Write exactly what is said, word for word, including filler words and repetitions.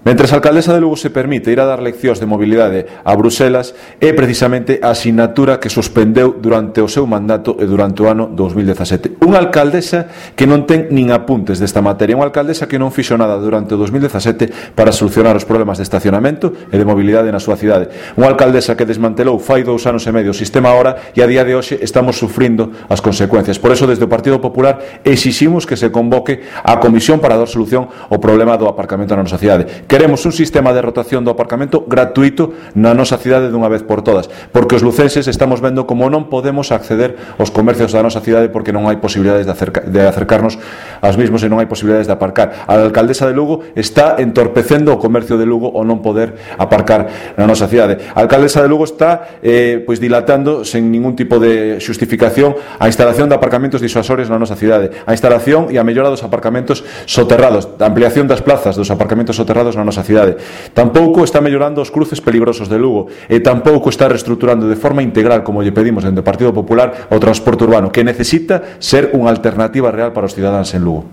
Mentres a alcaldesa de Lugo se permite ir a dar leccións de mobilidade a Bruselas, é precisamente a asignatura que suspendeu durante o seu mandato e durante o ano dous mil dezasete. Unha alcaldesa que non ten nin apuntes desta materia, unha alcaldesa que non fixo nada durante o dous mil dezasete para solucionar os problemas de estacionamento e de mobilidade na súa cidade. Unha alcaldesa que desmantelou fai dous anos e medio o sistema Hora e a día de hoxe estamos sufrindo as consecuencias. Por eso, desde o Partido Popular, exiximos que se convoque a comisión para dar solución ao problema do aparcamento na nosa cidade. Queremos un sistema de rotación do aparcamento gratuito na nosa cidade dunha vez por todas, porque os lucenses estamos vendo como non podemos acceder aos comercios da nosa cidade porque non hai posibilidades de, acerca, de acercarnos aos mismos e non hai posibilidades de aparcar. A alcaldesa de Lugo está entorpecendo o comercio de Lugo ao non poder aparcar na nosa cidade. A alcaldesa de Lugo está eh, pois dilatando sen ningún tipo de xustificación a instalación de aparcamentos disuasorios na nosa cidade, a instalación e a mellora dos aparcamentos soterrados, a ampliación das plazas dos aparcamentos soterrados na nosa cidade. Tampouco está mellorando os cruces peligrosos de Lugo e tampouco está reestruturando de forma integral, como lle pedimos dende o Partido Popular, o transporte urbano, que necesita ser unha alternativa real para os cidadáns en Lugo.